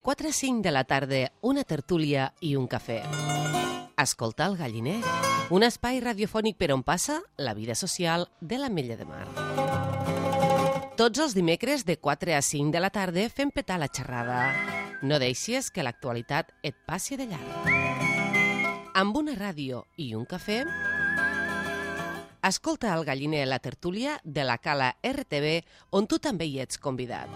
4 a 5 de la tarda, una tertúlia i un cafè. Escoltar el Galliner, un espai radiofònic per on passa la vida social de l'Ametlla de Mar. Tots els dimecres de 4 a 5 de la tarda fem petar la xerrada. No deixis que l'actualitat et passi de llarg. Amb una ràdio i un cafè, escolta el Galliner, la tertúlia de la Cala RTV, on tu també hi ets convidat.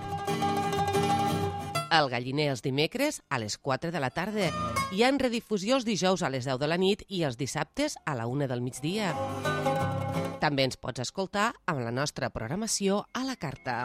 El Galliner els dimecres a les 4 de la tarda. Hi ha en redifusió els dijous a les 10 de la nit i els dissabtes a la 1 del migdia. També ens pots escoltar amb la nostra programació a la carta.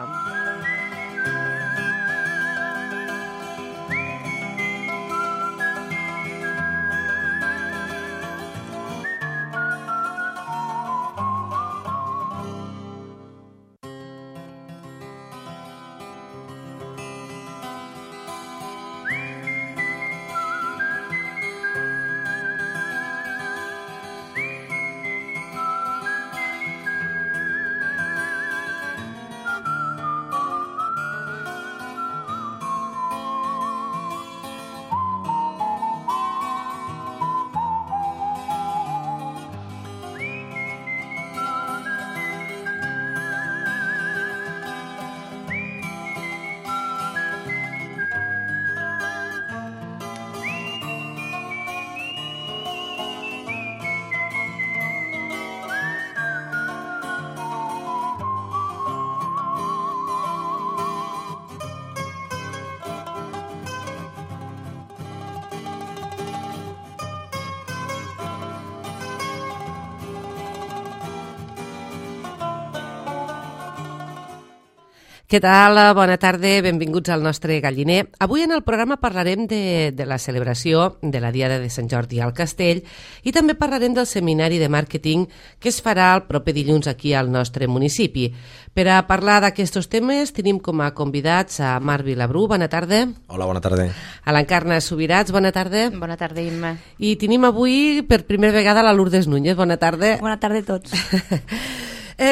Què tal? Bona tarda, benvinguts al nostre Galliner. Avui en el programa parlarem de la celebració de la Diada de Sant Jordi al Castell i també parlarem del seminari de màrqueting que es farà el proper dilluns aquí al nostre municipi. Per a parlar d'aquests temes tenim com a convidats a Marc Vilabrú, bona tarda. Hola, bona tarda. A l'Encarna Subirats, bona tarda. Bona tarda, Imma. I tenim avui per primera vegada la Lourdes Núñez, bona tarda. Bona tarda a tots.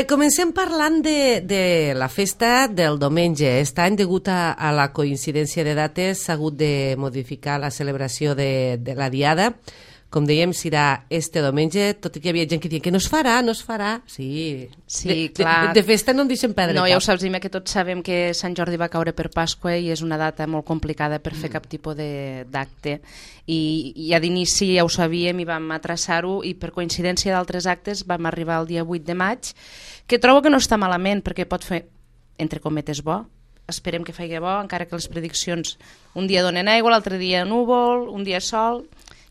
Comencem parlant de la festa del diumenge. Aquest any, degut a la coincidència de dates, s'ha hagut de modificar la celebració de la Diada. Com dèiem, serà este diumenge, tot i que hi havia gent que deia que no es farà. Sí, clar. De festa no en deixen perdre No, cap. ja ho saps, Imma, que tots sabem que Sant Jordi va caure per Pasqua i és una data molt complicada per fer cap tipus d'acte. I ja d'inici ja ho sabíem i vam traçar-ho i per coincidència d'altres actes vam arribar el dia 8 de maig, que trobo que no està malament perquè pot fer, entre cometes, bo. Esperem que faci bo, encara que les prediccions un dia donen aigua, l'altre dia núvol, un dia sol,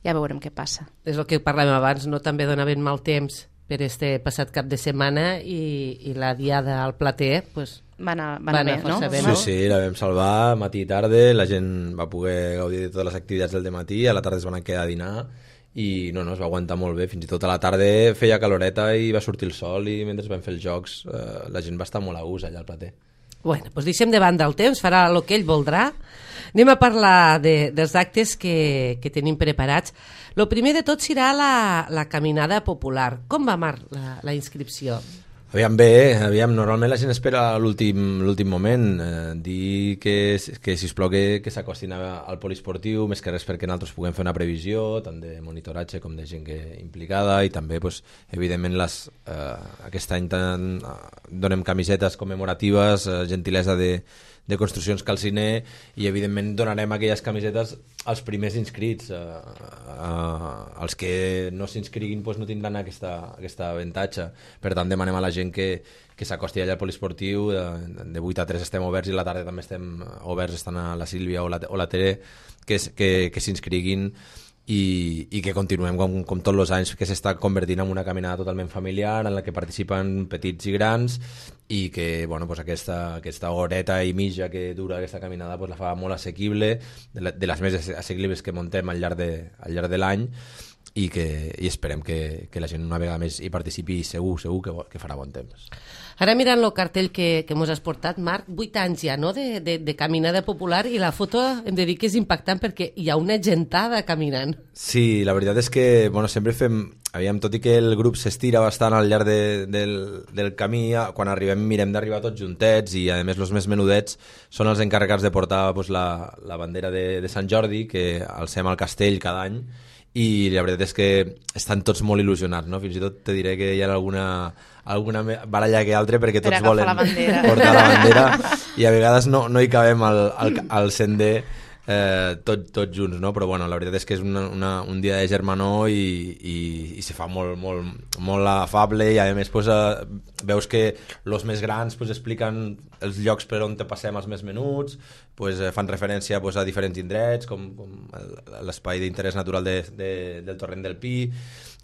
ja veurem què passa. És el que parlàvem abans, no? També donaven mal temps per este passat cap de setmana i la Diada al Plater, pues, va anar bé, no? Bé, no? Sí, la vam salvar matí i tarda, la gent va poder gaudir de totes les activitats del dematí, a la tarda es van quedar a dinar i no, es va aguantar molt bé, fins i tot a la tarda feia caloreta i va sortir el sol i mentre vam fer els jocs la gent va estar molt a gust allà al Plater. Bueno, doncs deixem de banda el temps, farà el que ell voldrà. Anem a parlar dels actes que tenim preparats. El primer de tot serà la caminada popular. Com va, Marc, la inscripció? Aviam bé, normalment la gent espera l'últim moment, dir que sisplau que s'acostin al poliesportiu, més que res perquè nosaltres puguem fer una previsió, tant de monitoratge com de gent implicada, i també, evidentment, aquest any donem camisetes commemoratives, gentilesa de Construccions Calciner, i evidentment donarem aquelles camisetes als primers inscrits. Els que no s'inscriguin no tindran aquest avantatge. Per tant, demanem a la gent que s'acosti allà al poliesportiu. De 8 a 3 estem oberts i a la tarda també estem oberts, estan a la Sílvia o la Tere, que s'inscriguin i que continuem com tots els anys, que s'està convertint en una caminada totalment familiar en la que participen petits i grans i que aquesta horeta i mitja que dura aquesta caminada la fa molt assequible, de les més assequibles que muntem al llarg de l'any, i esperem que la gent una vegada més hi participi, segur que farà bon temps. Ara mirant el cartell que mos has portat, Marc, 8 anys ja, no?, de caminada popular, i la foto hem de dir que és impactant perquè hi ha una gentada caminant. Sí, la veritat és que sempre fem aviam, tot i que el grup s'estira bastant al llarg del camí, quan arribem mirem d'arribar tots juntets i a més els més menudets són els encarregats de portar pues, la bandera de Sant Jordi, que alcem al castell cada any, i la veritat és que estan tots molt il·lusionats, no? Fins i tot te diré que hi ha alguna baralla que altra perquè tots volen portar la bandera i a vegades no hi cabem al sender tots junts, no? Però bueno, la veritat és que és un dia de germanor i se fa molt afable i a més pues, veus que els més grans pues, expliquen els llocs per on te passem els més menuts, pues, fan referència pues, a diferents indrets com l'espai d'interès natural del Torrent del Pi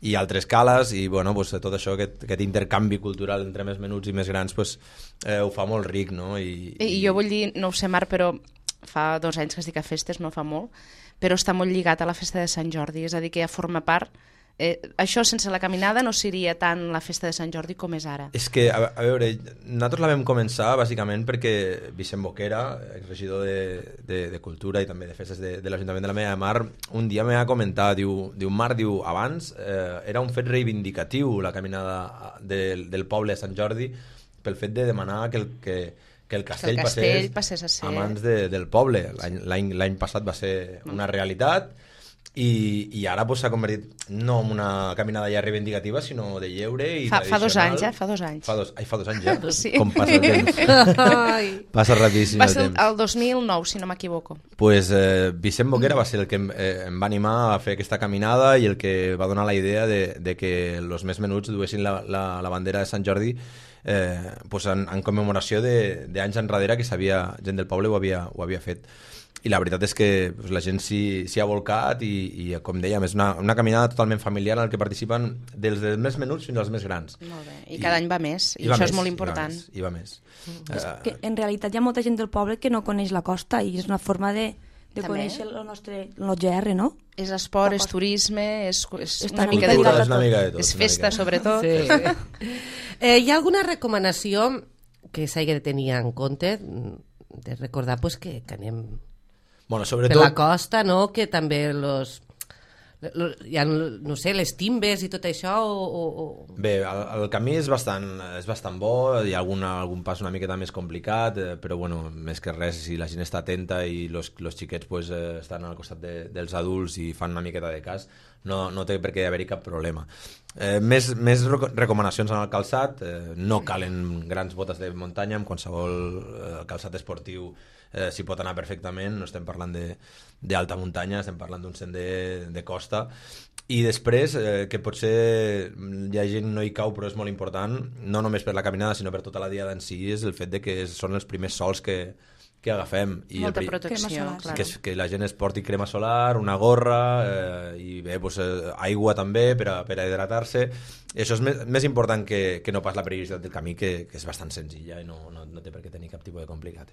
i altres cales i bueno, pues, tot això, aquest intercanvi cultural entre més menuts i més grans pues, ho fa molt ric, no? I jo vull dir, no ho sé Marc, però fa 2 anys que estic a festes, no fa molt, però està molt lligat a la festa de Sant Jordi, és a dir, que ja forma part. Això sense la caminada no seria tant la festa de Sant Jordi com és ara. És que, a veure, nosaltres la vam començar bàsicament perquè Vicent Boquera, regidor de Cultura i també de festes de l'Ajuntament de la Mella de Mar, un dia m'ha comentat, diu Marc, abans era un fet reivindicatiu la caminada del poble de Sant Jordi pel fet de demanar que el castell passés a mans del poble. L'any passat va ser una realitat i ara s'ha convertit no en una caminada ja reivindicativa, sinó de lleure i tradicional. Fa 2 anys. Fa 2 anys ja? Sí. Com passa el temps? Passa rapidíssim el temps. Va ser el 2009, si no m'equivoco. Pues Vicent Boquera va ser el que em va animar a fer aquesta caminada i el que va donar la idea de que els més menuts duessin la bandera de Sant Jordi pues en commemoració d'anys enrere que gent del poble ho havia fet. I la veritat és que pues, la gent s'hi ha volcat i com dèiem, és una caminada totalment familiar en la que participen dels més menuts fins als més grans. Molt bé. I cada any va més, i això és molt important. I va més. És que en realitat hi ha molta gent del poble que no coneix la costa i és una forma de conèixer el nostre GR, no? És esport, és turisme, és una mica de tot. És festa, sobretot. Sí. Hi ha alguna recomanació que s'hagi de tenir en compte, de recordar pues, que anem sobretot... per la costa, no? Que també hi ha, no sé, les timbes i tot això Bé, el camí és bastant bo, hi ha algun pas una miqueta més complicat, però bueno, més que res, si la gent està atenta i els xiquets pues, estan al costat dels adults i fan una miqueta de cas, no té per què haver-hi cap problema. Més recomanacions en el calçat, no calen grans botes de muntanya, amb qualsevol calçat esportiu s'hi pot anar perfectament, no estem parlant d'alta muntanya, estem parlant d'un sender de costa. I després, que potser hi ha gent no hi cau, però és molt important, no només per la caminada, sinó per tota la diada en si, és el fet de que són els primers sols que agafem. I molta protecció, clar. Que la gent es porti crema solar, una gorra i bé, pues, aigua també per a hidratar-se. Això és més important que no pas la periodicitat del camí, que és bastant senzilla i no té per què tenir cap tipus de complicat.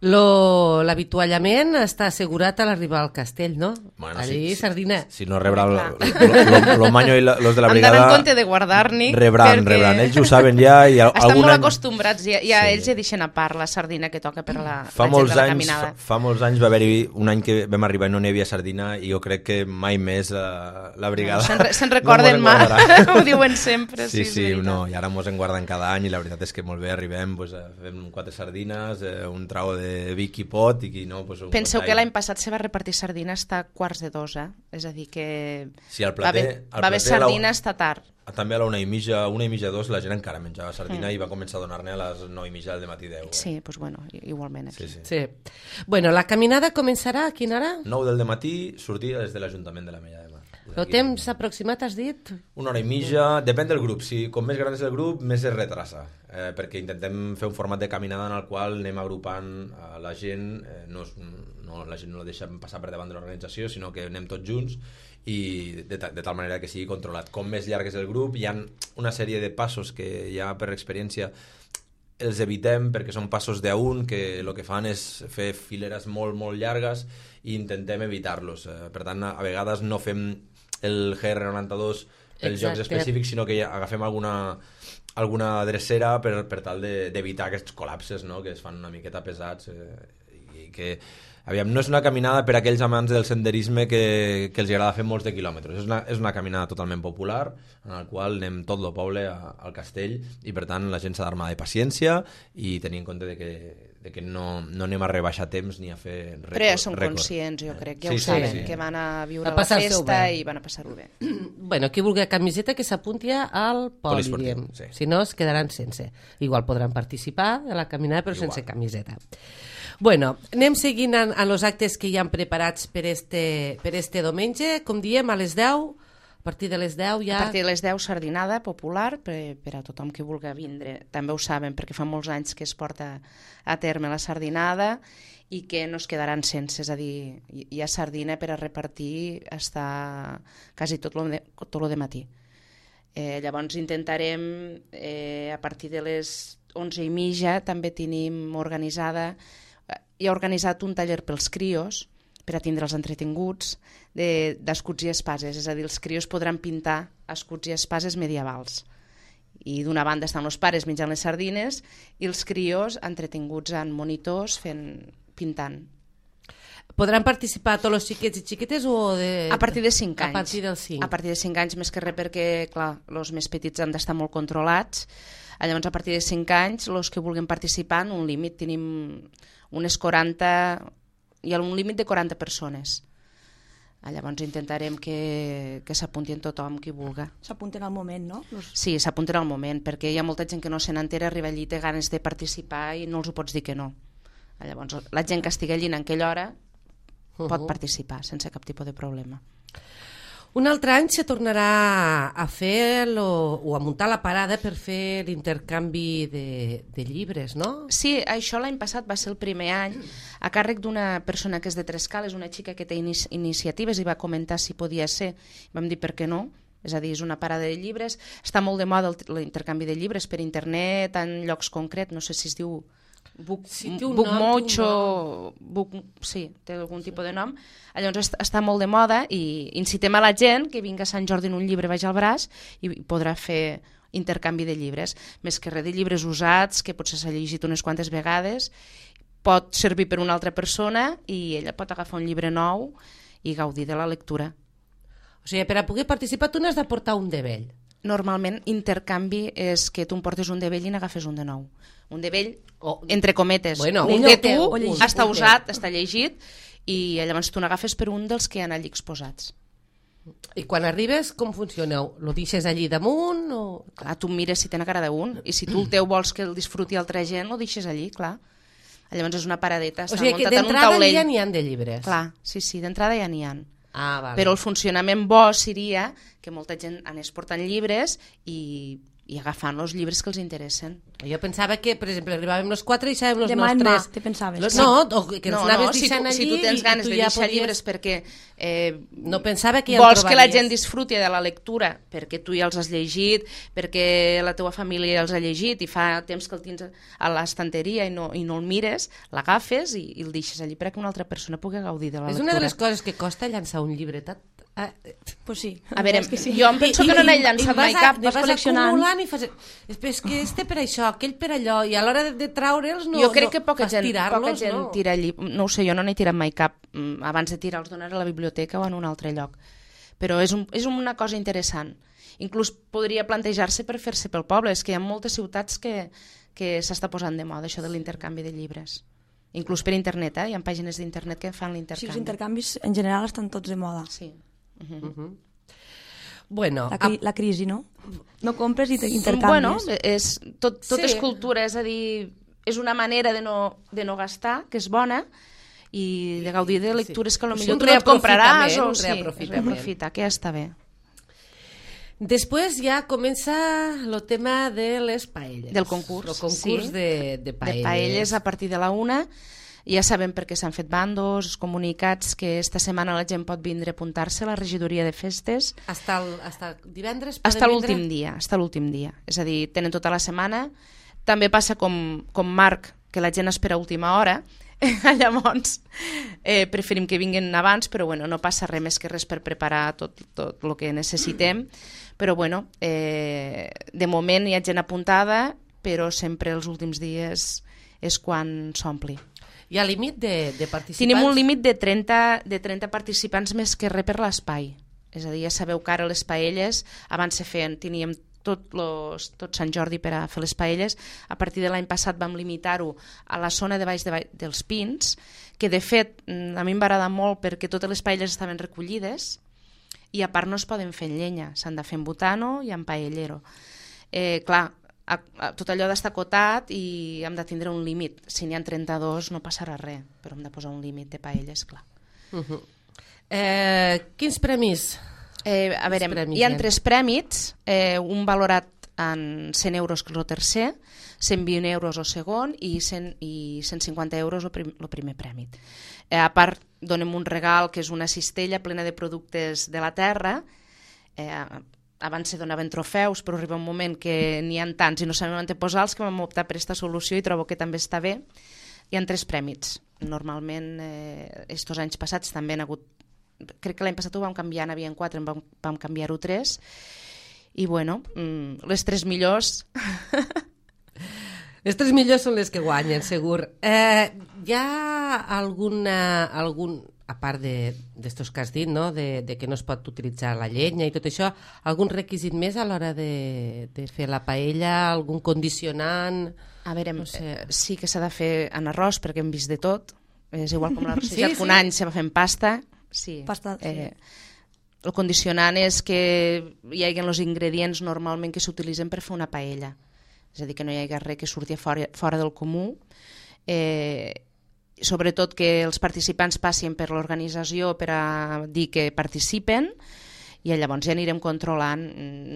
L'avituallament està assegurat a l'arribar al castell, no? Bueno, allí, sardina. Si no rebrà lo manyo i los de la brigada... Han d'anar en compte de guardar-n'hi. Rebran. Ells ho saben ja. Estan molt acostumbrats, ja ells ja deixen a part la sardina que toca per la gent de la caminada. Fa molts anys va haver-hi un any que vam arribar i no n'hi havia sardina i jo crec que mai més la brigada... Se'n recorden mai, ho diuen sempre. Sí, i ara mos en guarden cada any i la veritat és que molt bé, arribem, fem 4 sardines, un trau de Vic i pot i no... Penseu que l'any passat se va repartir sardina hasta 1:45, és a dir que va haver sardina hasta tard. També a la 1:30, 2 la gent encara menjava sardina i va començar a donar-ne a les 9:30 del matí 10. Sí, doncs bueno, igualment aquí. Sí. Bueno, la caminada començarà a quina hora? 9 del matí, sortida des de l'Ajuntament de la Mella de Mar. El temps aproximat has dit? 1:30, depèn del grup. Com més gran és el grup, més es retrasa, perquè intentem fer un format de caminada en el qual anem agrupant la gent, la gent no la deixem passar per davant de l'organització, sinó que anem tots junts i de tal manera que sigui controlat. Com més llarg és el grup, hi ha una sèrie de passos que ja per experiència els evitem perquè són passos d'un que el que fan és fer fileres molt, molt llargues i intentem evitar-los. Per tant, a vegades no fem el GR92 pels jocs específics, sinó que agafem alguna drecera per tal d'evitar aquests col·lapses, no? Que es fan una miqueta pesats i que Aviam, no és una caminada per a aquells amants del senderisme que els agrada fer molts de quilòmetres. És una caminada totalment popular, en la qual anem tot el poble al castell, i per tant la gent s'ha d'armar de paciència i tenir en compte de que no anem a rebaixar temps ni a fer rècords. Però ja són conscients, jo crec, ja ho saben, que van a viure la festa i van a passar-ho bé. Bueno, qui vulgui camiseta que s'apunti al poli, sí. Si no es quedaran sense. Igual podran participar de la caminada però sense camiseta. Bueno, anem seguint en els actes que hi han preparats per este diumenge. Com diem, a les 10, a partir de les 10 ja... A partir de les 10, sardinada popular per a tothom que vulgui vindre. També ho saben, perquè fa molts anys que es porta a terme la sardinada i que no es quedaran sense, és a dir, hi ha sardina per a repartir hasta quasi tot lo de matí. Llavors intentarem, a partir de les 11:30, també tenim hi ha organitzat un taller pels crios, per a tindre'ls entretinguts, d'escuts i espases, és a dir, els crios podran pintar escuts i espases medievals. I d'una banda estan els pares menjant les sardines i els crios entretinguts en monitors pintant. Podran participar tots els xiquets i xiquetes o a partir de 5 anys? A partir dels 5. A partir de 5 anys, més que res perquè, clar, els més petits han d'estar molt controlats. Llavors, a partir de 5 anys, els que vulguin participar, en un límit, tenim unes 40... Hi ha un límit de 40 persones. Llavors intentarem que s'apuntin tothom qui vulga. S'apunten al moment, no? Sí, s'apunten al moment, perquè hi ha molta gent que no se n'entera, arriba allí, té ganes de participar i no els ho pots dir que no. Llavors, la gent que estigui allí en aquella hora pot participar sense cap tipus de problema. Un altre any se tornarà a fer o a muntar la parada per fer l'intercanvi de llibres, no? Sí, això l'any passat va ser el primer any a càrrec d'una persona que és de Trescal, és una xica que té iniciatives i va comentar si podia ser. Vam dir per què no, és a dir, és una parada de llibres. Està molt de moda l'intercanvi de llibres per internet, en llocs concrets, no sé si es diu Bookmocho, sí, té algun tipus de nom. Llavors està molt de moda i incitem a la gent que vingui a Sant Jordi en un llibre baix al braç i podrà fer intercanvi de llibres, més que res de llibres usats que potser s'ha llegit unes quantes vegades, pot servir per una altra persona i ella pot agafar un llibre nou i gaudir de la lectura. O sigui, per a poder participar tu n'has de portar un de vell. Normalment intercanvi és que tu em portes un de vell i n'agafes un de nou. Un de vell, entre cometes, bueno, un de tu està usat, està llegit, i llavors tu n'agafes per un dels que hi ha allí exposats. I quan arribes, com funcioneu? Lo deixes allí damunt? O... Clar, tu mires si té una cara d'un, i si tu el teu vols que el disfruti altra gent, lo deixes allí, clar. Llavors és una paradeta, està muntat en un taulell. O sigui que d'entrada ja n'hi ha de llibres. Clar, sí, d'entrada ja n'hi ha. Vale. Però el funcionament bo seria que molta gent anés portant llibres i agafant els llibres que els interessen. Jo pensava que, per exemple, arribàvem els 4 i deixàvem els nostres... De mà, te pensaves? No, que ens anaves deixant allí... Si tu tens ganes de deixar llibres perquè no pensava que ja vols que la gent disfruti de la lectura, perquè tu ja els has llegit, perquè la teva família ja els ha llegit i fa temps que el tens a l'estanteria i no el mires, l'agafes i el deixes allí perquè una altra persona pugui gaudir de la lectura. És una de les coses que costa llançar un llibretat. Pues sí. A veure, jo em penso que no n'he llançat mai cap. Vas acumulant i fas... És que este per això, aquell per allò, i a l'hora de traure'ls no... Jo crec que poca gent no? tira llibres. No ho sé, jo no n'he tirat mai cap. Abans de tirar els donar a la biblioteca o en un altre lloc. Però és una cosa interessant. Inclús podria plantejar-se per fer-se pel poble. És que hi ha moltes ciutats que s'està posant de moda això de l'intercanvi de llibres. Inclús per internet, hi ha pàgines d'internet que fan l'intercanvi. Sí, els intercanvis en general estan tots de moda. Sí. Bueno, la crisi, no? No compres i intercanvies. Bueno, tot és cultura, és a dir, és una manera de no gastar, que és bona, i de gaudir de lectures que potser tu no et compraràs o reaprofitar, que ja està bé. Després ja comença el tema de les paelles. Del concurs. El concurs de paelles. De paelles a partir de la 1. Ja sabem perquè s'han fet bandos, comunicats, que esta setmana la gent pot vindre a apuntar-se a la regidoria de festes. Hasta divendres? Hasta l'últim dia. És a dir, tenen tota la setmana. També passa com Marc, que la gent espera a última hora. Llavors, preferim que vinguin abans, però bueno, no passa res més que res per preparar tot el que necessitem. Però bueno, de moment hi ha gent apuntada, però sempre els últims dies és quan s'ompli. Hi ha límit de participants? Tenim un límit de 30 participants més que res per l'espai. És a dir, ja sabeu que ara les paelles, abans se feien, teníem tot Sant Jordi per a fer les paelles. A partir de l'any passat vam limitar-ho a la zona de baix dels Pins, que de fet a mi em va agradar molt perquè totes les paelles estaven recollides i a part no es poden fer en llenya, s'han de fer en butano i en paellero. Clar, tot allò d'estar acotat i hem de tindre un límit. Si n'hi ha 32 no passarà res, però hem de posar un límit de paelles, clar. Quins premis? A veure, hi ha 3 prèmits, un valorat en 100 euros el tercer, 120 euros el segon i 150 euros el primer premi. A part, donem un regal que és una cistella plena de productes de la terra. Abans se donaven trofeus, però arriba un moment que n'hi ha tants i no sabem on posar-los que vam optar per aquesta solució i trobo que també està bé. Hi ha 3 prèmits. Normalment, estos anys passats també han hagut... Crec que l'any passat ho vam canviar, n'hi havia 4, vam canviar-ho 3. I bueno, les 3 millors... Les 3 millors són les que guanyen, segur. Hi ha algun, a part d'estos que has dit, no? de que no es pot utilitzar la llenya i tot això, algun requisit més a l'hora de fer la paella, algun condicionant? A veure, no sé. Sí que s'ha de fer en arròs perquè hem vist de tot. És igual com l'arròs que un any se va fent pasta. Sí. Pasta, sí. El condicionant és que hi hagi els ingredients normalment que s'utilitzen per fer una paella. És a dir, que no hi hagi res que surti fora del comú. Sobretot que els participants passin per l'organització per a dir que participen i llavors ja anirem controlant.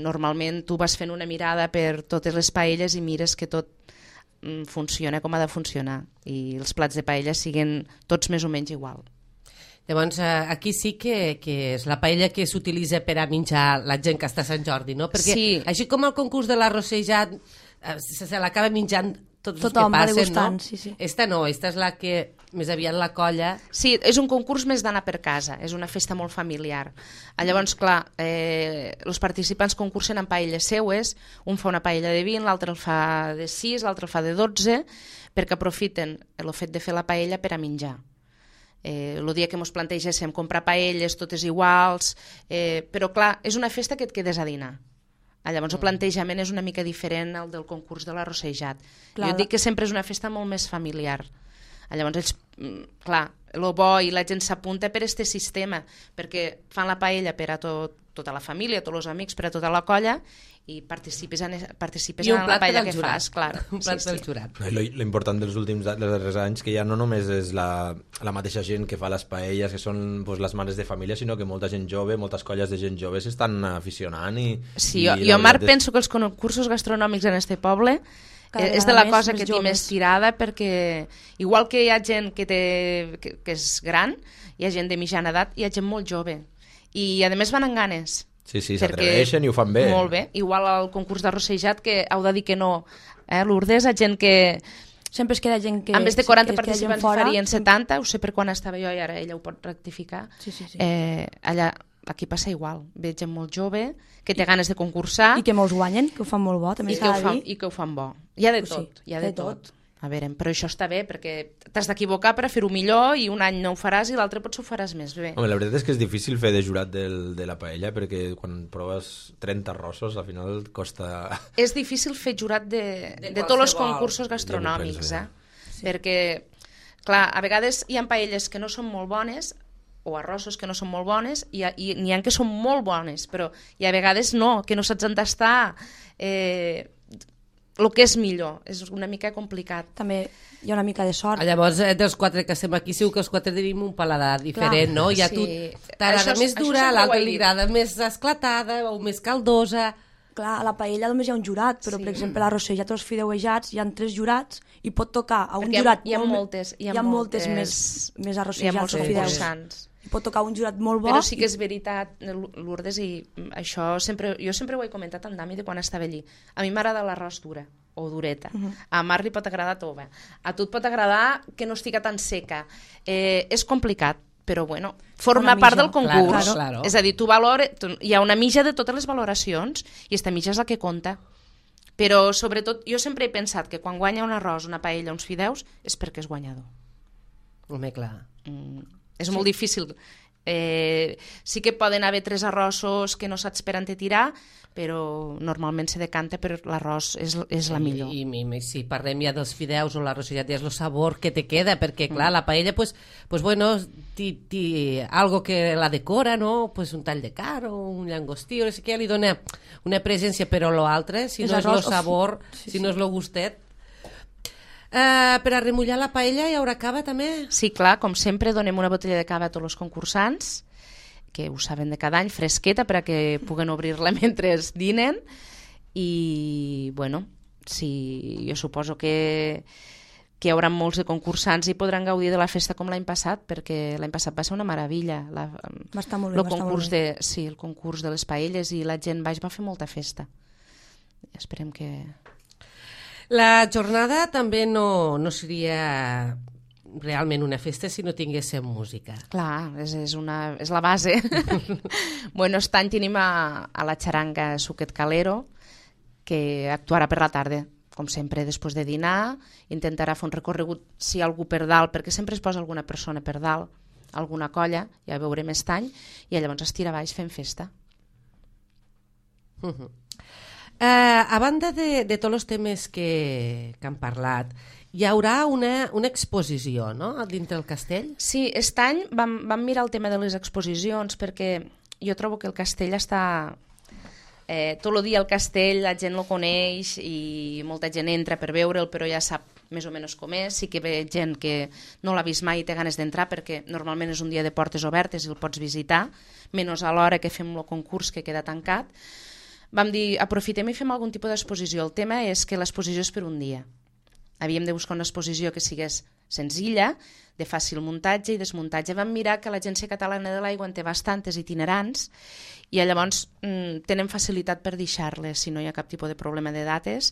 Normalment tu vas fent una mirada per totes les paelles i mires que tot funciona com ha de funcionar i els plats de paella siguin tots més o menys igual. Llavors, aquí sí que és la paella que s'utilitza per a menjar la gent que està a Sant Jordi, no? Perquè sí. Així com el concurs de l'arrossejat se l'acaba menjant tots els que passen, no? Sí. Esta no, esta és la que més aviat la colla... Sí, és un concurs més d'anar per casa, és una festa molt familiar. Llavors, clar, els participants concursen en paelles seues, un fa una paella de 20, l'altre el fa de 6, l'altre el fa de 12, perquè aprofiten el fet de fer la paella per a menjar. El dia que ens plantegéssim comprar paelles totes iguals, però clar, és una festa que et quedes a dinar. Llavors el plantejament és una mica diferent al del concurs de l'arrossejat. Jo dic que sempre és una festa molt més familiar. Llavors ells, clar, el bo i la gent s'apunta per aquest sistema, perquè fan la paella per a tota la família, tots els amics, per a tota la colla, i participes en la paella que fas, clar. Un plat pel jurat. L'important dels darrers anys que ja no només és la mateixa gent que fa les paelles, que són les mares de família, sinó que molta gent jove, moltes colles de gent jove s'estan aficionant. Sí, jo Marc, penso que els concursos gastronòmics en este poble és de la cosa que té més tirada, perquè igual que hi ha gent que és gran, hi ha gent de mitjana edat, hi ha gent molt jove. I a més van amb ganes. Sí, s'atreveixen i ho fan bé. Molt bé, igual al concurs d'arrossejat que heu de dir que no. Lourdes, hi ha gent que... Sempre es queda gent que... En vez de 40 participants farien 70, ho sé per quan estava jo i ara ella ho pot rectificar. Sí. Allà, aquí passa igual, ve gent molt jove, que té ganes de concursar. I que molts guanyen, que ho fan molt bo, també s'ha de dir. I que ho fan bo. Hi ha de tot, hi ha de tot. A veure, però això està bé, perquè t'has d'equivocar per a fer-ho millor i un any no ho faràs i l'altre potser ho faràs més bé. Home, la veritat és que és difícil fer de jurat de la paella, perquè quan proves 30 arrossos al final costa... És difícil fer jurat de tots els concursos gastronòmics, sí. Perquè, clar, a vegades hi ha paelles que no són molt bones o arrossos que no són molt bones i n'hi ha que són molt bones, però a vegades no, que no saps on està... el que és millor, és una mica complicat. També hi ha una mica de sort. Llavors, dels 4 que estem aquí, segur que els 4 tenim un paladar diferent, no? I a tu t'agrada més dura, a l'altre li agrada més esclatada o més caldosa. Clar, a la paella només hi ha un jurat, però per exemple a l'arrossejat o els fideuejats hi ha 3 jurats i pot tocar a un jurat... Hi ha moltes més arrossejats o fideus. Pot tocar un jurat molt bo. Però sí que és veritat, Lourdes, i això jo sempre ho he comentat amb Dami de quan estava allí. A mi m'agrada l'arròs dura o dureta. A Marc li pot agradar tova. A tu et pot agradar que no estigui tan seca. És complicat, però bueno, forma part del concurs. Claro. És a dir, hi ha una mitja de totes les valoracions i aquesta mitja és la que compta. Però sobretot, jo sempre he pensat que quan guanya un arròs, una paella, uns fideus, és perquè és guanyador. Home, clar. És molt difícil. Sí que poden haver 3 arrossos que no saps per on te tirar, però normalment se decanta per l'arròs, és la millor. I si parlem ja dels fideus o l'arròs, ja és el sabor que te queda, perquè clar, la paella, pues bueno, algo que la decora, no? Pues un tall de carn o un llangostí, o no sé què, li dona una presència, però l'altre, si no és el sabor, si no és el gustet. Per a remullar la paella hi haurà cava també? Sí, clar, com sempre donem una botella de cava a tots els concursants, que ho saben de cada any, fresqueta, per a que puguen obrir-la mentre dinen, i bueno, jo suposo que hi haurà molts de concursants i podran gaudir de la festa com l'any passat, perquè l'any passat va ser una meravella. Va estar molt bé, el concurs de les paelles, i la gent baix va fer molta festa. Esperem que... La jornada també no seria realment una festa si no tinguéssim música. Clar, és la base. Bueno, aquest any tenim a la xaranga Suquet Calero, que actuarà per la tarda, com sempre, després de dinar. Intentarà fer un recorregut, si hi ha algú per dalt, perquè sempre es posa alguna persona per dalt, alguna colla, ja veurem aquest any, i llavors es tira baix fent festa. A banda de tots els temes que han parlat, hi haurà una exposició, no?, dintre el castell? Sí, aquest any vam mirar el tema de les exposicions, perquè jo trobo que el castell està... tot el dia al castell la gent el coneix i molta gent entra per veure'l, però ja sap més o menys com és. Sí que ve gent que no l'ha vist mai i té ganes d'entrar, perquè normalment és un dia de portes obertes i el pots visitar, menys a l'hora que fem el concurs, que queda tancat. Vam dir, aprofitem i fem algun tipus d'exposició. El tema és que l'exposició és per un dia. Havíem de buscar una exposició que sigués senzilla, de fàcil muntatge i desmuntatge. Vam mirar que l'Agència Catalana de l'Aigua en té bastantes itinerants i llavors tenen facilitat per deixar-les si no hi ha cap tipus de problema de dates.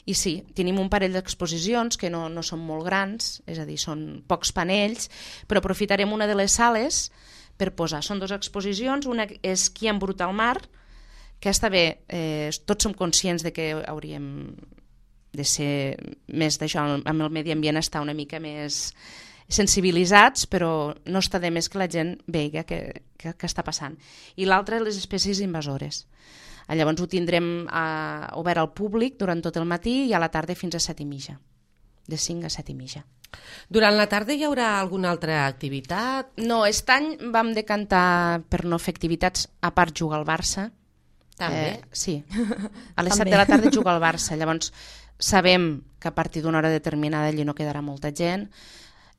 I sí, tenim un parell d'exposicions que no són molt grans, és a dir, són pocs panells, però aprofitarem una de les sales per posar. Són 2 exposicions, una és Qui ha embrutat el mar, que està bé, tots som conscients de que hauríem de ser més d'això, amb el medi ambient estar una mica més sensibilitzats, però no està de més que la gent vegi què està passant. I l'altra, les espècies invasores. Llavors ho tindrem obert al públic durant tot el matí i a la tarda fins a 7:30, de 5 a 7:30. Durant la tarda hi haurà alguna altra activitat? No, aquest any vam decantar per no fer activitats, a part jugar al Barça. També? Sí, a les 7 de la tarda juga al Barça, llavors sabem que a partir d'una hora determinada allí no quedarà molta gent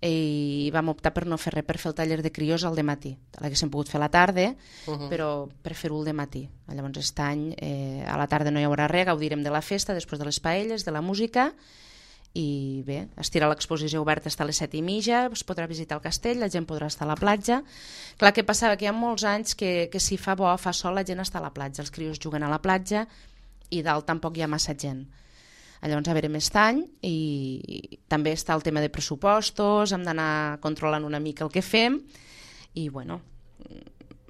i vam optar per no fer res, per fer el taller de crios al dematí. L'haguéssim pogut fer a la tarda, però per fer-ho al dematí. Llavors aquest any a la tarda no hi haurà res, gaudirem de la festa, després de les paelles, de la música, i bé, estirà l'exposició oberta fins a les 7:30, es podrà visitar el castell, la gent podrà estar a la platja. Clar, què passava? Que hi ha molts anys que si fa bo, fa sol, la gent està a la platja, els crios juguen a la platja i dalt tampoc hi ha massa gent. Llavors a veure aquest any, i també està el tema de pressupostos, hem d'anar controlant una mica el que fem, i bueno,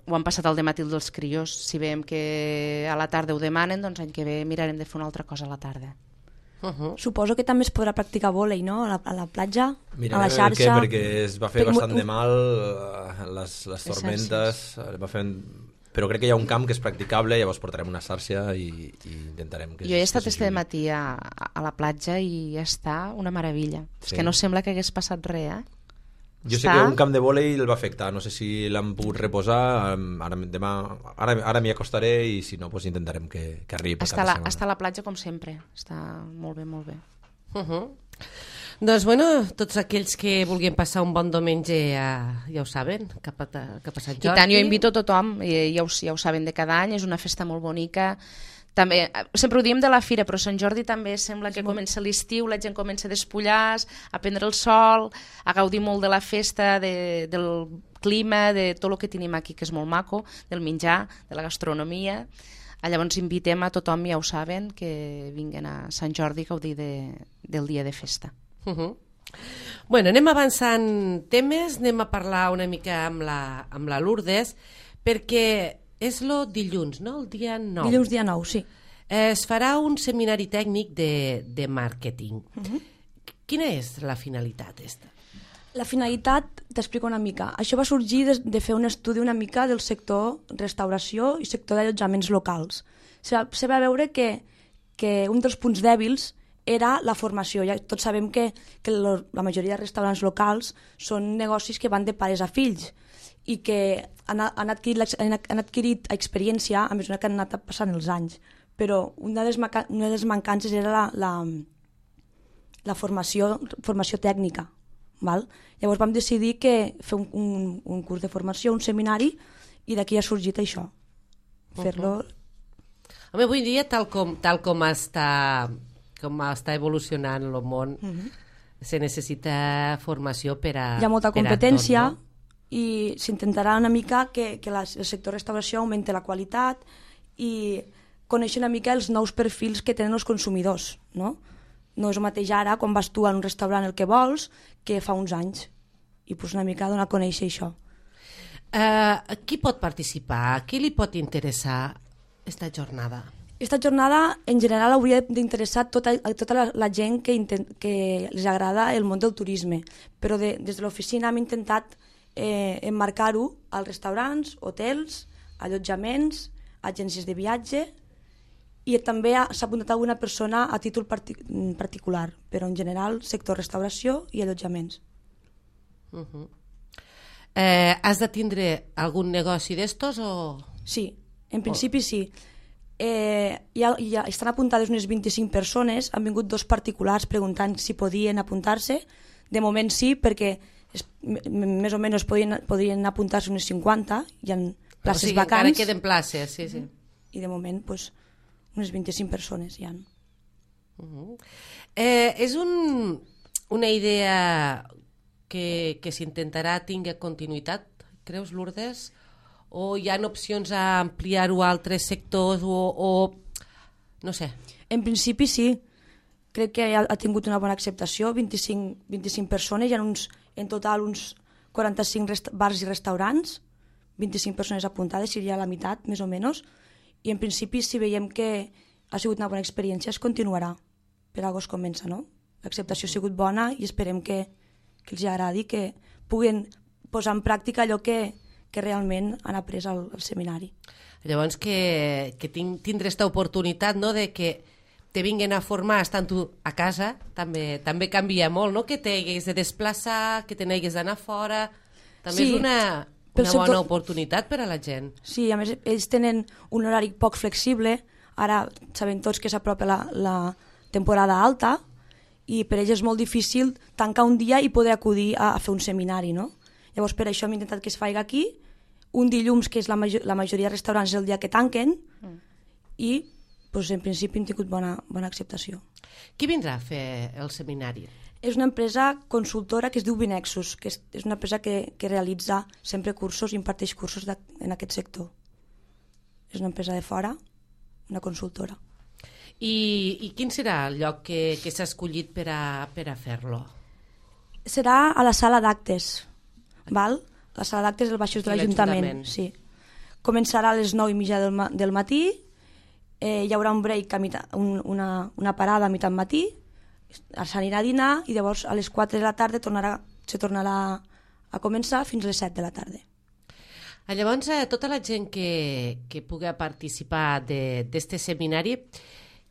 ho han passat al dematí dels crios. Si veiem que a la tarda ho demanen, doncs l'any que ve mirarem de fer una altra cosa a la tarda. Suposo que també es podrà practicar vòlei, no? A la platja, mirarem a la xarxa... perquè es va fer bastant de mal les tormentes, però crec que hi ha un camp que és practicable, llavors portarem una xarxa i intentarem que... Jo he estat este matí a la platja i està una meravella. És que no sembla que hagués passat res, Jo sé que un camp de vòlei el va afectar, no sé si l'han pogut reposar, ara m'hi acostaré i si no, doncs intentarem que arribi per cap setmana. Està a la platja com sempre, està molt bé, molt bé. Doncs bueno, tots aquells que vulguin passar un bon diumenge ja ho saben, cap a Sant Jordi. I tant, jo invito a tothom, ja ho saben de cada any, és una festa molt bonica. També, sempre ho diem de la fira, però Sant Jordi també sembla que comença l'estiu, la gent comença a despullar, a prendre el sol, a gaudir molt de la festa, del clima, de tot el que tenim aquí, que és molt maco, del menjar, de la gastronomia. Llavors invitem a tothom, ja ho saben, que vinguen a Sant Jordi a gaudir del dia de festa. Bueno, anem avançant temes, anem a parlar una mica amb la Lourdes, perquè és el dilluns, no? El dia 9. Dilluns dia 9, sí. Es farà un seminari tècnic de màrqueting. Quina és la finalitat esta? La finalitat, t'explico una mica. Això va sorgir de fer un estudi una mica del sector restauració i sector d'allotjaments locals. Se va veure que un dels punts dèbils era la formació. Ja tots sabem que la majoria de restaurants locals són negocis que van de pares a fills i que han adquirit experiència a mesura que han anat passant els anys. Però una de les mancances era la formació tècnica. Val? Llavors vam decidir fer un curs de formació, un seminari, i d'aquí ha sorgit això. Fer-lo... Home, avui dia, tal com està evolucionant el món, se necessita formació per a... Hi ha molta competència, tot, no? I s'intentarà una mica que el sector restauració augmenti la qualitat i conèixer una mica els nous perfils que tenen els consumidors, no? No és el mateix ara, quan vas tu a un restaurant el que vols, que fa uns anys. I pues una mica donar a conèixer això. Qui pot participar? Qui li pot interessar esta jornada? Esta jornada, en general, hauria d'interessar tota la gent que els agrada el món del turisme. Però des de l'oficina hem intentat emmarcar-ho als restaurants, hotels, allotjaments, agències de viatge, i també s'ha apuntat alguna persona a títol particular, però en general sector restauració i allotjaments. Has de tindre algun negoci d'estos o...? Sí, en principi sí. Ja estan apuntades unes 25 persones, han vingut 2 particulars preguntant si podien apuntar-se. De moment sí, perquè més o menys podrien apuntar-se unes 50, hi ha places vacants. Encara queden places, sí. I de moment, doncs, unes 25 persones hi ha. És una idea que s'intentarà tingui continuïtat, creus, Lourdes? O hi ha opcions a ampliar-ho a altres sectors o no sé? En principi sí. Crec que ha tingut una bona acceptació, 25 persones, hi ha en total uns 45 bars i restaurants, 25 persones apuntades, seria la meitat, més o menys, i en principi si veiem que ha sigut una bona experiència es continuarà, per algo es comença, no? L'acceptació ha sigut bona i esperem que els agradi, que puguen posar en pràctica allò que realment han après al seminari. Llavors que tindre aquesta oportunitat, no?, de que te vinguen a formar estant tu a casa també canvia molt, no?, que t'hagués de desplaçar, que te n'hagués d'anar fora, també és una bona oportunitat per a la gent. Sí, a més ells tenen un horari poc flexible, ara sabem tots que s'apropa la temporada alta i per ells és molt difícil tancar un dia i poder acudir a fer un seminari, no? Llavors per això hem intentat que es faci aquí, un dilluns, que és la majoria de restaurants el dia que tanquen, i doncs, en principi hem tingut bona acceptació. Qui vindrà a fer el seminari? És una empresa consultora que es diu Binexus, que és una empresa que realitza sempre cursos i imparteix cursos en aquest sector. És una empresa de fora, una consultora. I quin serà el lloc que s'ha escollit per a fer-lo? Serà a la sala d'actes, val? La sala d'actes del Baixos de l'Ajuntament. Sí. Començarà a les 9:30 del matí, hi haurà un break, una parada a mitjà matí, s'anirà a dinar i llavors a les 4 de la tarda se tornarà a començar fins a les 7 de la tarda. Llavors, tota la gent que pugui participar d'aquest seminari,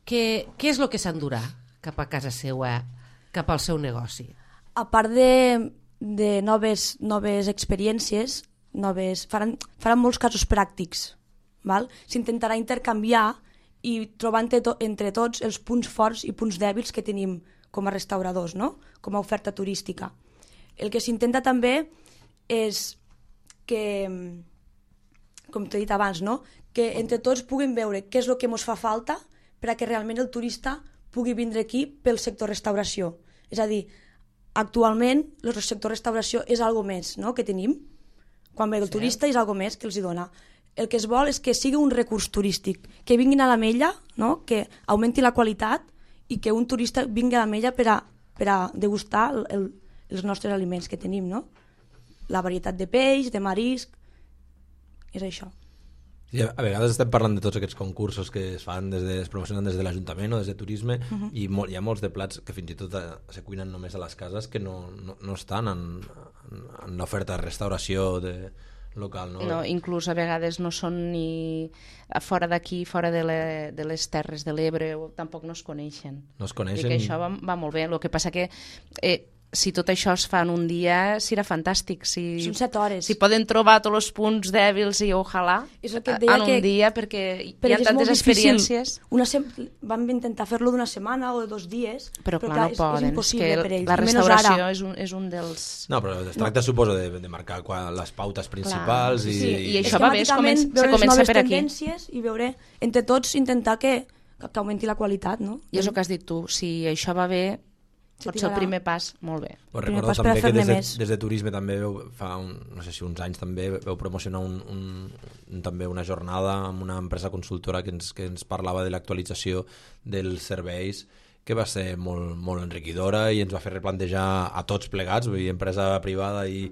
què és el que s'endurà cap a casa seva, cap al seu negoci? A part de noves experiències, faran molts casos pràctics. S'intentarà intercanviar i trobar entre tots els punts forts i punts dèbils que tenim com a restauradors, no? Com a oferta turística. El que s'intenta també és que, com t'he dit abans, no? Que entre tots puguem veure què és el que ens fa falta perquè realment el turista pugui vindre aquí pel sector restauració. És a dir, actualment el sector restauració és algo més, no?, que tenim. Quan ve el turista és algo més que els dona. El que es vol és que sigui un recurs turístic, que vinguin a l'Ametlla, no?, que augmenti la qualitat i que un turista vingui a l'Ametlla per a degustar els nostres aliments que tenim, no? La varietat de peix, de marisc, és això. Sí, a vegades estem parlant de tots aquests concursos que es fan, es promocionen des de l'Ajuntament o des de Turisme, i hi ha molts de plats que fins i tot se cuinen només a les cases que no estan en l'oferta de restauració local. No? No, inclús a vegades no són ni fora d'aquí, fora de les Terres de l'Ebre, tampoc no es coneixen. No es coneixen. I que això va molt bé. El que passa que si tot això es fa en un dia, serà fantàstic. Són 7 hores. Si poden trobar tots els punts dèbils i ojalà en un dia, perquè hi ha tantes experiències. Vam intentar fer-lo d'una setmana o de 2 dies, però clar, no poden. És impossible per ells. La restauració és un dels... No, però es tracta, suposo, de marcar les pautes principals. I això va bé, se comença per aquí. I veure, entre tots, intentar que augmenti la qualitat, no? I és el que has dit tu, si això va bé, pot ser el primer pas, molt bé. Recordo també que des de Turisme també fa no sé si uns anys també vau promocionar també una jornada amb una empresa consultora que ens parlava de l'actualització dels serveis, que va ser molt, molt enriquidora i ens va fer replantejar a tots plegats, vull dir, empresa privada i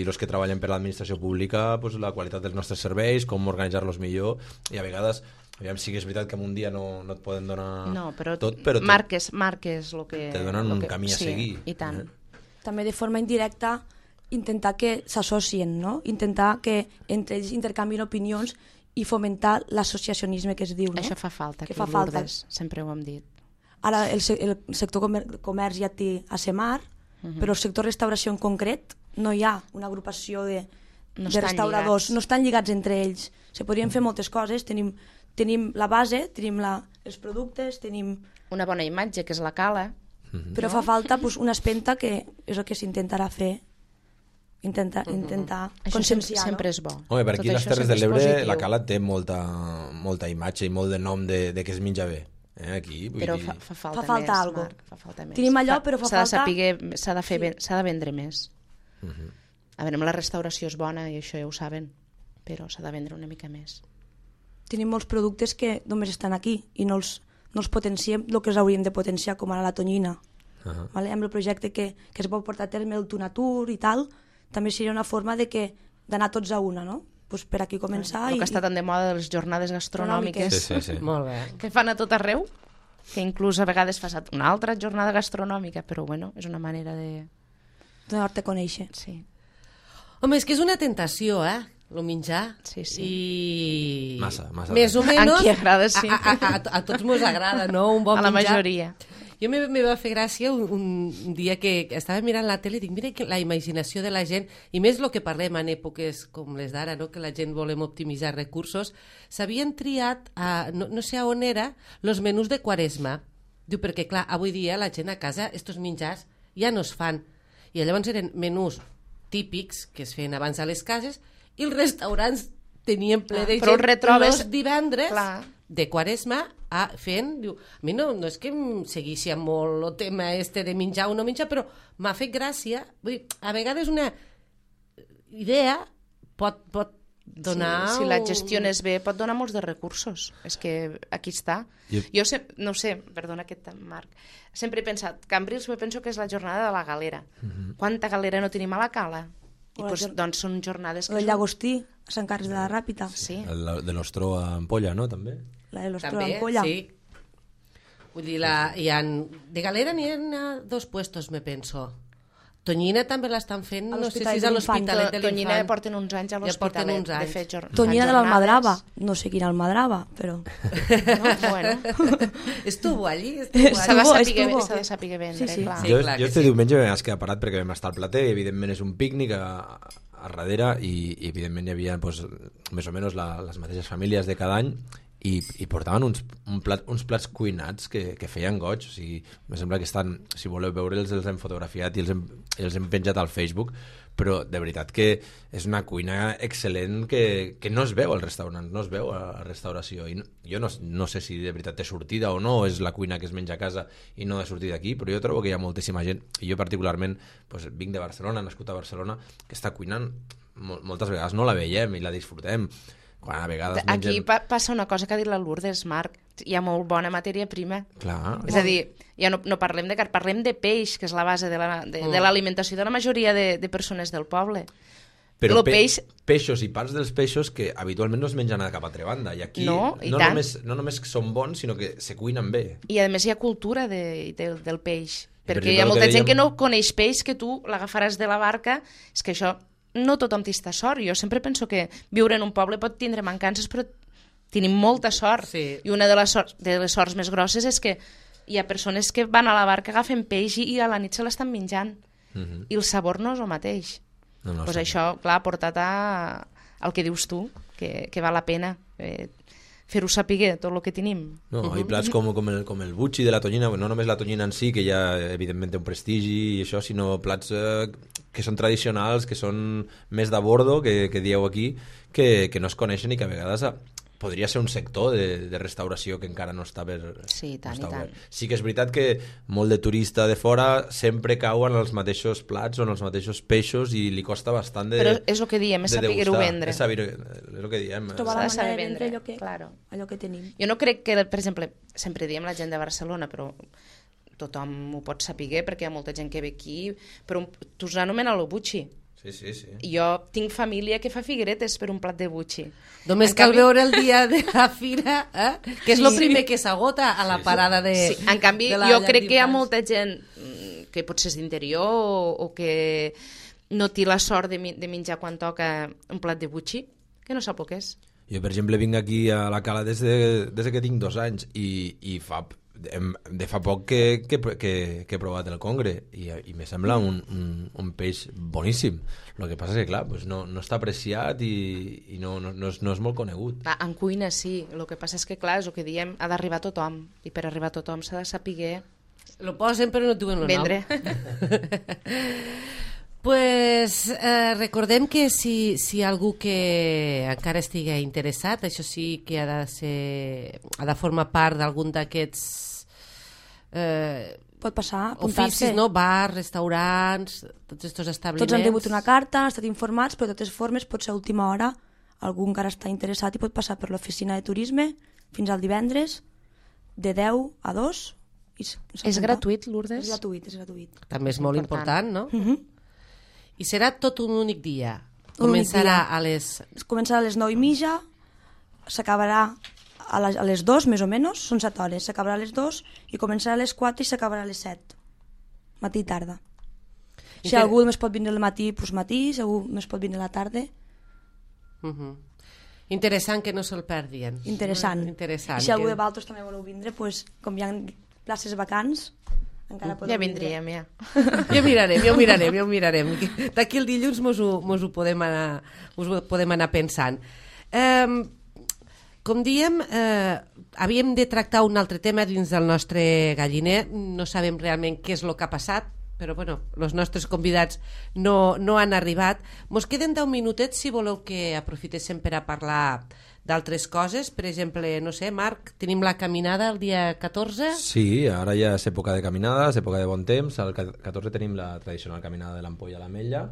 els que treballen per l'administració pública, pues, la qualitat dels nostres serveis, com organitzar-los millor, i a vegades aviam, sí que és veritat que en un dia no et poden donar tot, però marques el que... Te donen un camí a seguir. I tant. També de forma indirecta intentar que s'associen, no? Intentar que entre ells intercanvien opinions i fomentar l'associacionisme que es diu, no? Això fa falta, que fa falta. Sempre ho hem dit. Ara el sector comerç ja té ASEMAR, però el sector restauració en concret no hi ha una agrupació de restauradors, no estan lligats entre ells. Se podrien fer moltes coses, tenim la base, tenim els productes, tenim... Una bona imatge, que és la cala. Però fa falta una espenta, que és el que s'intentarà fer, intentar conscienciar. Sempre és bo. Home, per aquí les Terres de l'Ebre la cala té molta imatge i molt de nom de que es menja bé. Aquí, però dir... fa falta més, Marc. Fa falta més. Tenim allò, però fa falta... S'ha de vendre més. A veure, la restauració és bona i això ja ho saben, però s'ha de vendre una mica més. Tenim molts productes que només estan aquí i no els potenciem el que els hauríem de potenciar, com ara la tonyina. Vale? Amb el projecte que es pot portar a terme, el Tunatur i tal, també seria una forma d'anar tots a una, no? Pues per aquí començar. El que està tan de moda de les jornades gastronòmiques. Sí. Molt bé. Que fan a tot arreu, que inclús a vegades fa una altra jornada gastronòmica, però bueno, és una manera de... Donar-te a conèixer. Sí. Home, és que és una tentació, el menjar. Sí. I... Massa. Més o menys. A qui agrada, sí. A tots mos agrada, no? Un bon menjar. A la menjar. majoria. Jo me va fer gràcia un dia que estava mirant la tele i dic, mira la imaginació de la gent, i més el que parlem en èpoques com les d'ara, no? Que la gent volem optimitzar recursos, s'havien triat, no sé on era, els menús de Quaresma. Diu, perquè clar, avui dia la gent a casa, estos menjars ja no es fan. I llavors eren menús típics que es feien abans a les cases i els restaurants tenien ple de gent els divendres de Quaresma fent, diu, a mi no és que em segueixi molt el tema de menjar o no menjar, però m'ha fet gràcia. Vull dir, a vegades una idea pot donar... Si la gestiones bé, pot donar molts de recursos. És que aquí està. Jo no sé, perdona Marc, sempre he pensat, Cambrils penso que és la jornada de la galera. Quanta galera no tenim a la cala? I doncs són jornades que... El Llagostí, a Sant Carles de la Ràpita. Sí. El de l'Ostró a Ampolla, no? També. La de l'Ostró a Ampolla. Sí. Vull dir, de galera n'hi ha 2 puestos, me penso. Tonyina també l'estan fent, no sé si és a l'Hospitalet de l'Infant. Tonyina ja porten uns anys a l'Hospitalet. Tonyina de l'Almadrava, no sé quina Almadrava, però... Estuvo allí. S'ha de saber vendre, clar. Jo este diumenge vam quedar parat perquè vam estar al plater i evidentment és un pícnic a darrere i evidentment hi havia més o menys les mateixes famílies de cada any i portaven uns plats cuinats que feien goig. O sigui, em sembla que estan, si voleu veure'ls, els hem fotografiat i els hem penjat al Facebook, però de veritat que és una cuina excel·lent que no es veu al restaurant, no es veu a la restauració. I jo no sé si de veritat té sortida o no, és la cuina que es menja a casa i no de sortida aquí, però jo trobo que hi ha moltíssima gent, i jo particularment vinc de Barcelona, nascut a Barcelona, que està cuinant moltes vegades, no la veiem i la disfrutem. Quan a vegades aquí passa una cosa que ha dit la Lourdes, Marc, hi ha molt bona matèria prima. Clar. És a dir, ja no parlem de carn, parlem de peix, que és la base de l'alimentació de la majoria de persones del poble. Però Lo peix... peixos i parts dels peixos que habitualment no es mengen a cap altra banda. I aquí No, i no tant. només són bons, sinó que se cuinen bé. I a més hi ha cultura del peix. per Perquè exemple, hi ha el molta que gent que dèiem- no coneix peix, que tu l'agafaràs de la barca. És que això, no tothom té esta sort. Jo sempre penso que viure en un poble pot tindre mancances, però tenim molta sort. Sí. I una de les sorts més grosses és que hi ha persones que van a la barca, agafen peix i a la nit se l'estan menjant. I el sabor no és el mateix. No, Pues sí. això, clar, ha portat al que dius tu, que val la pena fer-ho saber tot el que tenim. No, hi ha plats com el butxi de la tonyina, no només la tonyina en si, que ja evidentment té un prestigi i això, sinó plats que són tradicionals, que són més de bordo, que dieu aquí, que no es coneixen i que a vegades podria ser un sector de restauració que encara no està Sí, i tant, no està i tant. obert. Sí que és veritat que molt de turista de fora sempre cauen els mateixos plats o en els mateixos peixos i li costa bastant de Però és el que diem, és de saber-ho degustar. vendre. És el que diem. Trobar S'ha la de saber manera de vendre vendre, claro. allò que tenim. Jo no crec que, per exemple, sempre diem la gent de Barcelona, però tothom ho pot saber perquè hi ha molta gent que ve aquí, però tu s'anomena el butxi. Sí, sí, sí. Jo tinc família que fa figueretes per un plat de butxi. Només En cal canvi- veure el dia de la fira, que és el primer que s'agota a la parada de... Sí, en canvi, de la jo llar crec que hi ha d'infants. molta gent que potser és d'interior o que no té la sort de menjar quan toca un plat de butxi, que no sap el que és. Jo, per exemple, vinc aquí a la Cala des que tinc 2 anys i fa poc que he provat el congre i me sembla un peix boníssim. El que passa és que, clar, pues no està apreciat i no és molt conegut. En cuina sí, el que passa és que, clar, és el que diem, ha d'arribar a tothom, i per arribar a tothom s'ha de saber Lo posen però no et diuen el vendre. nom. Pues recordem que si algú que encara estigui interessat, això sí que ha de formar part d'algun d'aquests Pot passar, oficis, apuntar-se. no? Bars, restaurants, tots aquests establiments. Tots han rebut una carta, han estat informats, però de totes formes pot ser a última hora, algú encara està interessat i pot passar per l'oficina de turisme fins al divendres de 10 a 2. És gratuït, Lourdes? És gratuït, és gratuït. També és molt important, no? Mhm. I serà tot un únic dia. Un únic Començarà dia. a les... Començarà a les 9:30, s'acabarà a les 2 més o menys, són 7 hores, s'acabarà a les 2 i començarà a les 4 i s'acabarà a les 7, matí i tarda. Si algú més pot vindre al matí, doncs matí, si algú més pot vindre a la tarda, Interessant, que no se'l perdien. interessant. Interessant. I si algú que- de Valtros també voleu vindre, doncs, com hi ha places vacants, encara podeu Ja vindre. vindríem, ja. Ja ho mirarem. D'aquí el dilluns mos ho podem anar pensant. Com diem, havíem de tractar un altre tema dins del nostre galliner. No sabem realment què és el que ha passat, però bueno, els nostres convidats no han arribat. Mos queden 10 minutets si voleu que aprofitéssim per a parlar d'altres coses. Per exemple, no sé, Marc, tenim la caminada el dia 14? Sí, ara ja és època de caminada, és època de bon temps. El 14 tenim la tradicional caminada de l'Ampolla a l'Ametlla.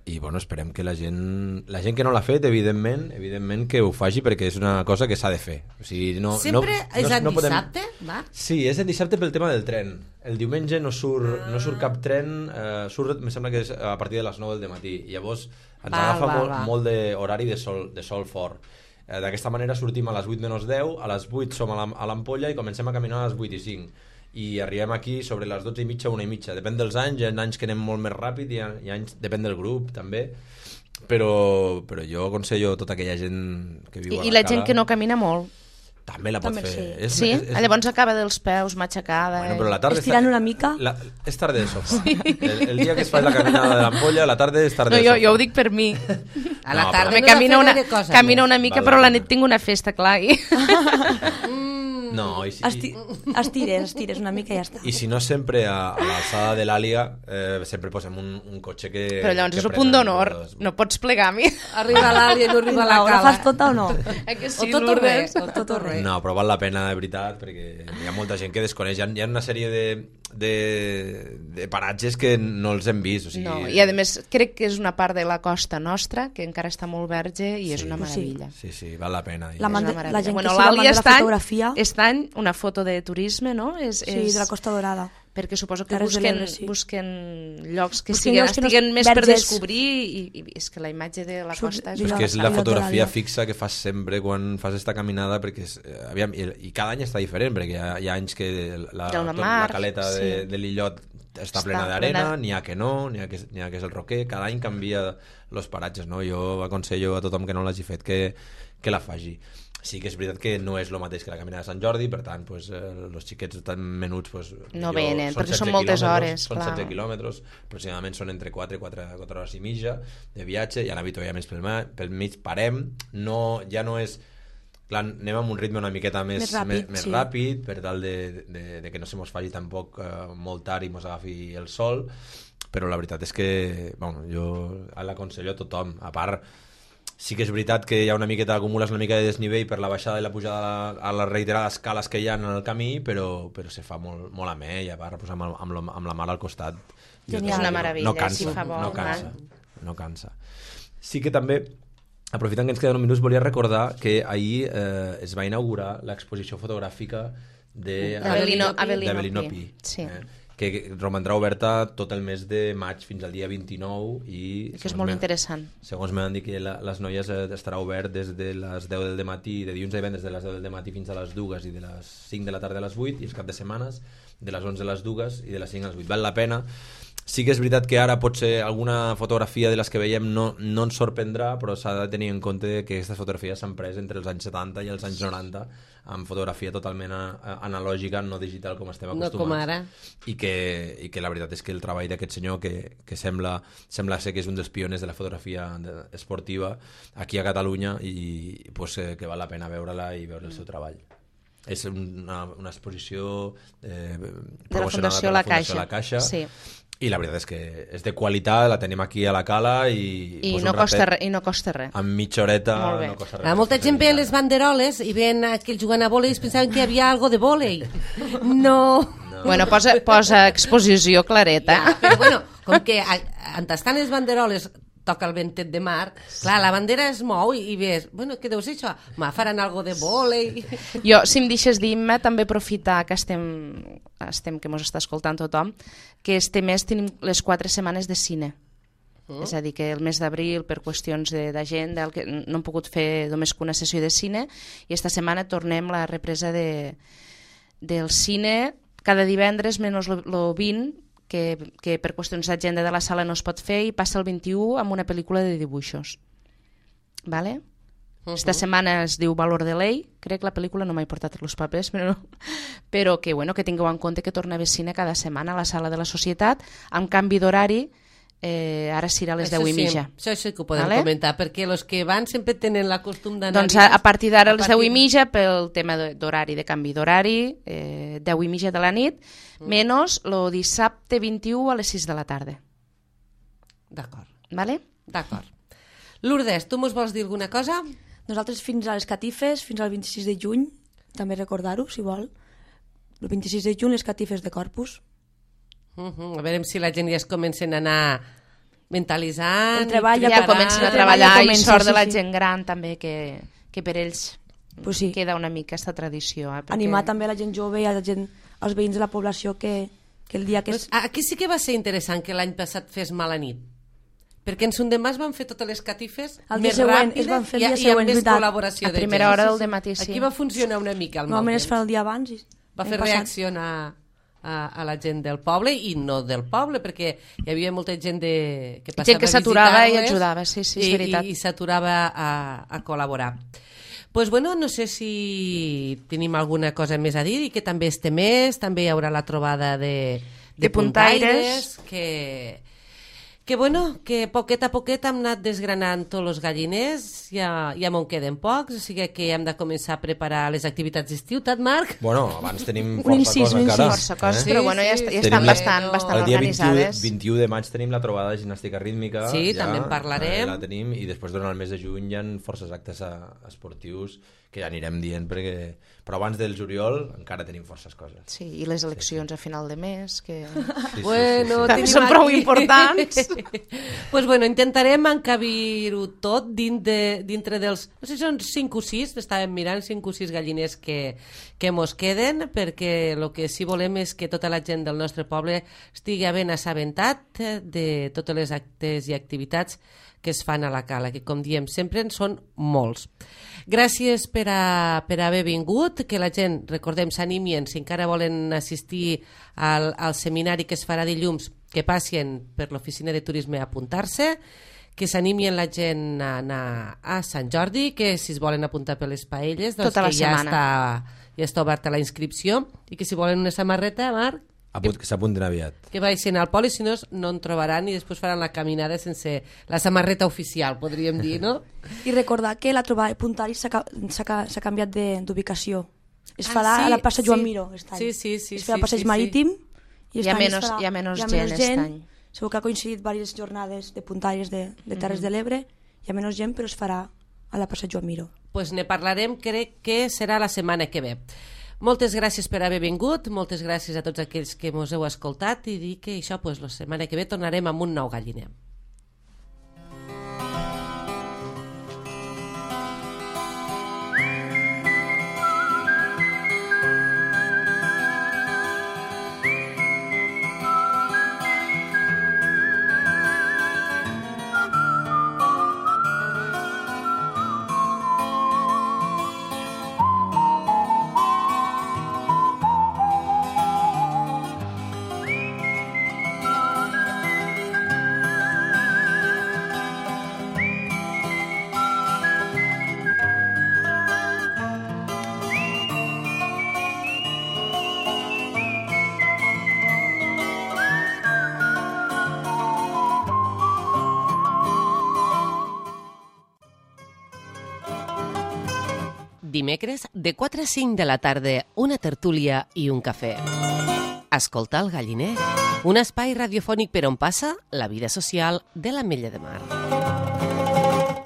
I bueno, esperem que la gent que no l'ha fet, evidentment que ho faci, perquè és una cosa que s'ha de fer. O sigui, Sempre és en dissabte, Marc? Sí, és en dissabte pel tema del tren. El diumenge no surt cap tren, em sembla que és a partir de les 9 del matí. Llavors ens agafa molt d'horari de sol fort. D'aquesta manera sortim a les 8 menys 10, a les 8 som a l'Ampolla i comencem a caminar a les 8 i 5. I arribem aquí sobre les 12 i mitja, 1 i mitja. Depèn dels anys, hi ha anys que anem molt més ràpid, hi ha anys, depèn del grup també, però jo aconsello a tota aquella gent que viu a la I la Cala, gent que no camina molt. també la pot També fer. Sí? Llavors acaba dels peus, matxacada. Bueno, però la tarda Estirant una mica. és tarda de sofà. El dia que es fa la caminada de l'Ampolla, la tarda és tarda No, de sofà. jo ho dic per mi. A la No, tarda Me no he de camina fer una, gaire cosa camina més. una mica, Val però la la pena. nit tinc una festa, clar. I... No, Estires una mica i ja està. I si no, sempre a l'alçada de l'Àliga sempre posem un cotxe que... Però llavors que és el prenen punt d'honor. els- No pots plegar a mi. Arriba l'Àlia i no arriba la La Cala. fas tota o no? Que O sí, tot o Lourdes? res, o tot o res. No, però val la pena, de veritat, perquè hi ha molta gent que desconeix. Hi ha una sèrie de paratges que no els hem vist. O sigui, No, i a més crec que és una part de la costa nostra que encara està molt verge i és una meravella. Sí, val la pena. La És una la meravella. gent que Bueno, sigui amant l'Àlia de la fotografia, Aquest any una foto de turisme, no? sí, de la Costa Dorada. perquè suposo que Terres de l'Ebre, busquen llocs que Busquen llocs que no estiguen més per verges. descobrir i és que la imatge de la costa és... És que és la Al fotografia litoral. fixa que fas sempre quan fas esta caminada, perquè aviam, i cada any està diferent, perquè hi ha anys que la caleta de l'illot està plena d'arena, n'hi ha que no, n'hi ha que és el roquer, cada any canvia els paratges, no? Jo aconsello a tothom que no l'hagi fet que la faci. Sí que és veritat que no és el mateix que la caminada de Sant Jordi, per tant, els xiquets tan menuts no venen, perquè són moltes hores. Són 16 quilòmetres, aproximadament són entre 4 hores i mitja de viatge, i a l'habitual més pel mig parem, ja no és... Clar, anem amb un ritme una miqueta més ràpid, per tal de que no se mos faci tampoc molt tard i mos agafi el sol, però la veritat és que jo l'aconsello a tothom. A part, sí que és veritat que hi ha una miqueta, acumules una mica de desnivell per la baixada i la pujada a les reiterades escales que hi ha en el camí, però se fa molt amè, i a part amb la mar al costat és una meravella, si fa bo, no cansa. Sí que també, aprofitant que ens queden uns minuts, volia recordar que ahir es va inaugurar l'exposició fotogràfica d'Avelino Pi, que romandrà oberta tot el mes de maig fins al dia 29, i que és molt interessant. Segons m'han dit que les noies estarà obert des de les 10 del matí, de dilluns a divendres de les 10 del matí fins a les 2 i de les 5 de la tarda a les 8, i els cap de setmanes de les 11 a les 2 i de les 5 a les 8. Val la pena. Sí que és veritat que ara potser alguna fotografia de les que veiem no ens sorprendrà, però s'ha de tenir en compte que aquestes fotografies s'han pres entre els anys 70 i els anys 90 amb fotografia totalment analògica, no digital com estem acostumats. No com ara. I que la veritat és que el treball d'aquest senyor, que sembla ser que és un dels pioners de la fotografia esportiva aquí a Catalunya, i que val la pena veure-la i veure el seu treball. És una exposició promocionada per la Fundació La Caixa, sí. I la veritat és que és de qualitat, la tenim aquí a la cala i no costa res. En mitja horeta no costa res. Molta gent veien les banderoles i veien aquells jugant a vòlei i es pensaven que hi havia algo de vòlei. No. Bueno, posa exposició clareta. Ja, però bueno, com que on estan les banderoles toca el ventet de mar, clar, la bandera es mou i ves, bueno, què deu ser això? Faran algo de vòlei... Jo, si em deixes dir-me, també aprofitar que estem que mos està escoltant tothom, que este mes tenim les 4 setmanes de cine. És a dir, que el mes d'abril, per qüestions d'agenda, no hem pogut fer només que una sessió de cine, i esta setmana tornem la represa del cine cada divendres, menys el 20, que per qüestions d'agenda de la sala no es pot fer, i passa el 21 amb una pel·lícula de dibuixos. Vale? Esta setmana es diu Valor de Ley, crec que la pel·lícula no m'he portat els papers, però que tingueu en compte que torna a haver cine cada setmana a la sala de la Societat, amb canvi d'horari, ara serà a les 10:30. Això sí que ho podem comentar, perquè els que van sempre tenen la costum d'anar... Doncs a partir d'ara a les 10:30, pel tema d'horari, de canvi d'horari, 10:30 de la nit, menys el dissabte 21 a les 6 de la tarda. D'acord. Vale? D'acord. Lourdes, tu mos vols dir alguna cosa? Nosaltres fins a les catifes, fins al 26 de juny, també recordar-ho, si vol. El 26 de juny, les catifes de Corpus. A veure si la gent ja es comencen a anar mentalitzant. Ja comencen a treballar, i sort de la gent gran també, que per ells queda una mica aquesta tradició. Animar també la gent jove i els veïns de la població que el dia que... Aquí sí que va ser interessant que l'any passat fes mala nit, perquè en Sondemà es van fer totes les catifes més ràpides i amb més col·laboració de gent. A primera hora del dematí, sí. Aquí va funcionar una mica el mal temps. Normalment es fa el dia abans. Va fer reaccionar a la gent del poble i no del poble, perquè hi havia molta gent que passava gent que s'aturava i ajudava, sí, és veritat. I s'aturava a col·laborar. Pues bueno, no sé si tenim alguna cosa més a dir, i que també este mes també hi haurà la trobada de puntaires, que bueno, que poquet a poquet hem anat desgranant tots els galliners, ja me'n queden pocs, o sigui que hem de començar a preparar les activitats d'estiu, tant, Marc? Bueno, abans tenim força cosa encara. Força cosa, però bueno, ja estan bastant organitzades. El dia 21 de maig tenim la trobada de gimnàstica rítmica. Sí, també en parlarem. La tenim, i després durant el mes de juny hi ha forces actes esportius que ja anirem dient, però abans del juliol encara tenim forces coses. Sí, i les eleccions a final de mes, que bueno, són prou importants. Pues bueno, intentarem encabir-ho tot dintre dels... No sé si són 5 o 6, estàvem mirant 5 o 6 galliners que mos queden, perquè el que sí volem és que tota la gent del nostre poble estigui ben assabentat de totes les actes i activitats que es fan a la cala, que com diem sempre en són molts. Gràcies per haver vingut, que la gent, recordem, s'animien, si encara volen assistir al seminari que es farà dilluns, que passin per l'oficina de turisme a apuntar-se, que s'animien la gent a anar a Sant Jordi, que si es volen apuntar per les paelles, doncs tota la que ja setmana està oberta la inscripció, i que si volen una samarreta, Marc, Que s'apuntin aviat. que vagin al poli, si no en trobaran i després faran la caminada sense la samarreta oficial, podríem dir, no? I recordar que la trobada de Puntaris s'ha canviat d'ubicació. Es farà a la plaça Joan Miró aquest any. Sí. Es farà al passeig marítim i hi ha menys gent aquest any. Segur que ha coincidit diverses jornades de Puntaris de Terres de l'Ebre. Hi ha menys gent, però es farà a la plaça Joan Miró. Pues ne parlarem, crec que serà la setmana que ve. Moltes gràcies per haver vingut, moltes gràcies a tots aquells que mos heu escoltat i dir que això, pues, la setmana que ve tornarem amb un nou galliner. Dimecres, de 4 a 5 de la tarda, una tertúlia i un cafè. Escoltar el galliner, un espai radiofònic per on passa la vida social de l'Ametlla de Mar.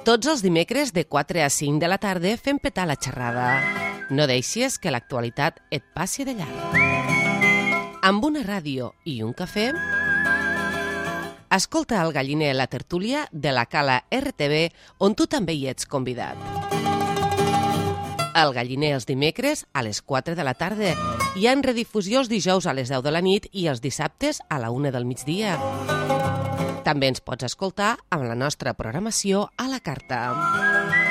Tots els dimecres, de 4 a 5 de la tarda, fem petar la xerrada. No deixis que l'actualitat et passi de llarg. Amb una ràdio i un cafè, escolta el galliner, la tertúlia de la Cala RTV, on tu també hi ets convidat. El galliner els dimecres a les 4 de la tarda i en redifusió els dijous a les 10 de la nit i els dissabtes a la 1 del migdia. També ens pots escoltar amb la nostra programació a la carta.